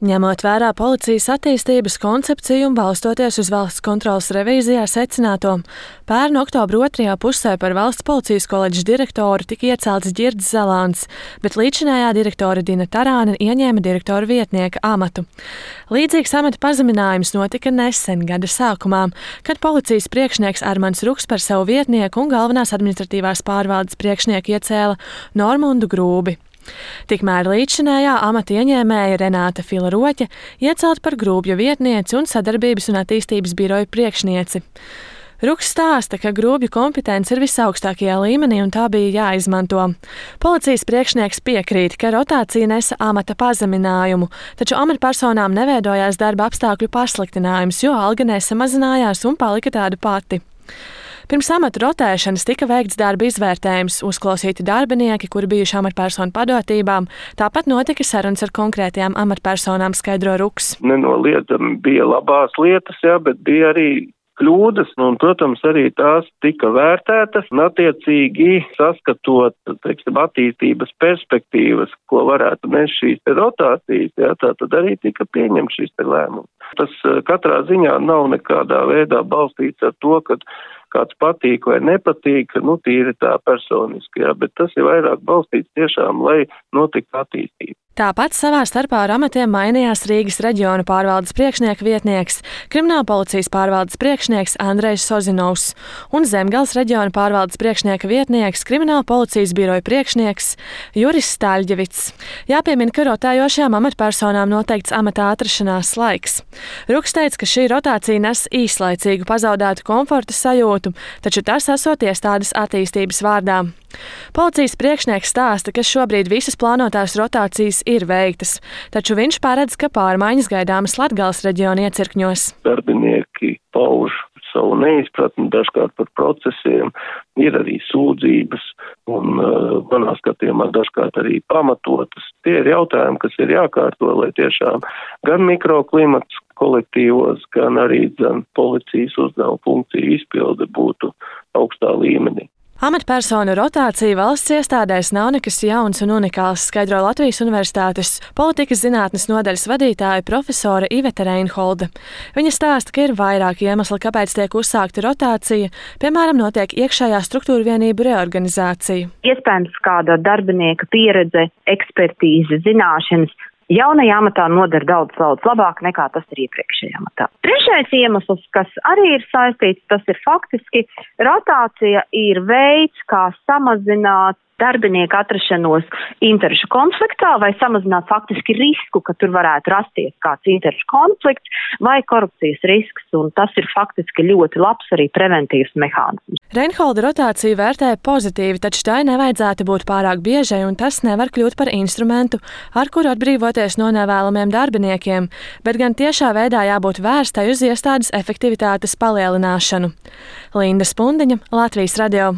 Ņemot vērā policijas attīstības koncepciju un balstoties uz valsts kontroles revīzijā secināto, pērn oktobra otrajā pusē par valsts policijas koledžas direktoru tika iecelts Ģirds Zalāns, bet līdzinājā direktore Dina Tarāne ieņēma direktora vietnieka amatu. Līdzīgs amata pazeminājums notika nesen gada sākumā, kad policijas priekšnieks Armands Ruks par savu vietnieku un galvenās administratīvās pārvaldes priekšnieku iecēla Normundu Grūbi. Tikmēr līdzšinējā amata ieņēmēja Renāta Fila Roķe iecelt par Grūbju vietnieci un sadarbības un attīstības biroja priekšnieci. Ruks stāsta, ka Grūbju kompetence ir visaugstākajā līmenī un tā bija jāizmanto. Policijas priekšnieks piekrīt, ka rotācija nesa amata pazeminājumu, taču amatpersonām neveidojās darba apstākļu pasliktinājums, jo alga nesamazinājās un palika tāda pati. Pirms amata rotēšanas tika veikts darba izvērtējums, uzklausīti darbinieki, kuri bijuši amatpersonu padotībām, tāpat notika sarunas ar konkrētajām amatpersonām, skaidro Ruks. Nenoliedzami bija labās lietas, bet bija arī kļūdas, un, protams, arī tās tika vērtētas, un attiecīgi saskatot, attīstības perspektīvas, ko varētu nest šīs rotācijas, tā tad arī tika pieņemts šis lēmums. Tas katrā ziņā nav nekādā veidā balstīts ar to, ka kāds patīk vai nepatīk, tīri tā personiski, bet tas ir vairāk balstīts tiešām, lai notiktu attīstība. Tāpat savā starpā ar amatiem mainījās Rīgas reģiona pārvaldes priekšnieka vietnieks, Kriminālpolicijas pārvaldes priekšnieks Andrejs Sozinovs un Zemgales reģiona pārvaldes priekšnieka vietnieks, Kriminālpolicijas biroja priekšnieks Juris Staļģevits. Jāpiemina, ka rotējošajām amatpersonām noteikts amatā atrašanās laiks. Ruks teica, ka šī rotācija nes īslaicīgu pazaudētu komforta sajūtu, taču tas esot iestādes attīstības vārdā. Policijas priekšnieks stāsta, ka šobrīd visas plānotās rotācijas ir veiktas, taču viņš paredz, ka pārmaiņas gaidāmas Latgales reģiona iecirkņos. Darbinieki pauž savu neizpratni dažkārt par procesiem, ir arī sūdzības un manā skatījumā dažkārt arī pamatotas. Tie ir jautājumi, kas ir jākārto, lai tiešām gan mikroklimats kolektīvos, gan arī policijas uzdevuma funkciju izpilde būtu augstā līmenī. Amatpersonu rotācija valsts iestādēs nav nekas jauns un unikāls, skaidro Latvijas Universitātes politikas zinātnes nodaļas vadītāja profesore Iveta Reinholde. Viņa stāsta, ka ir vairāki iemesli, kāpēc tiek uzsākta rotācija, piemēram, notiek iekšējā struktūra vienību reorganizācija. Iespējams, kāda darbinieka pieredze, ekspertīze, zināšanas jaunajā amatā nodara daudz labāk nekā tas ir iepriekšējā amatā. Trešais iemesls, kas arī ir saistīts, tas ir faktiski rotācija ir veids, kā samazināt darbinieku atrašanos interešu konfliktā vai samazināt faktiski risku, ka tur varētu rasties kāds interešu konflikts vai korupcijas risks, un tas ir faktiski ļoti labs arī preventīvs mehānisms. Reinholde rotāciju vērtē pozitīvi, taču tai nevajadzētu būt pārāk biežai, un tas nevar kļūt par instrumentu, ar kuru atbrīvoties no nevēlamiem darbiniekiem, bet gan tiešā veidā jābūt vērstai uz iestādes efektivitātes palielināšanu. Linda Spundiņa, Latvijas radio.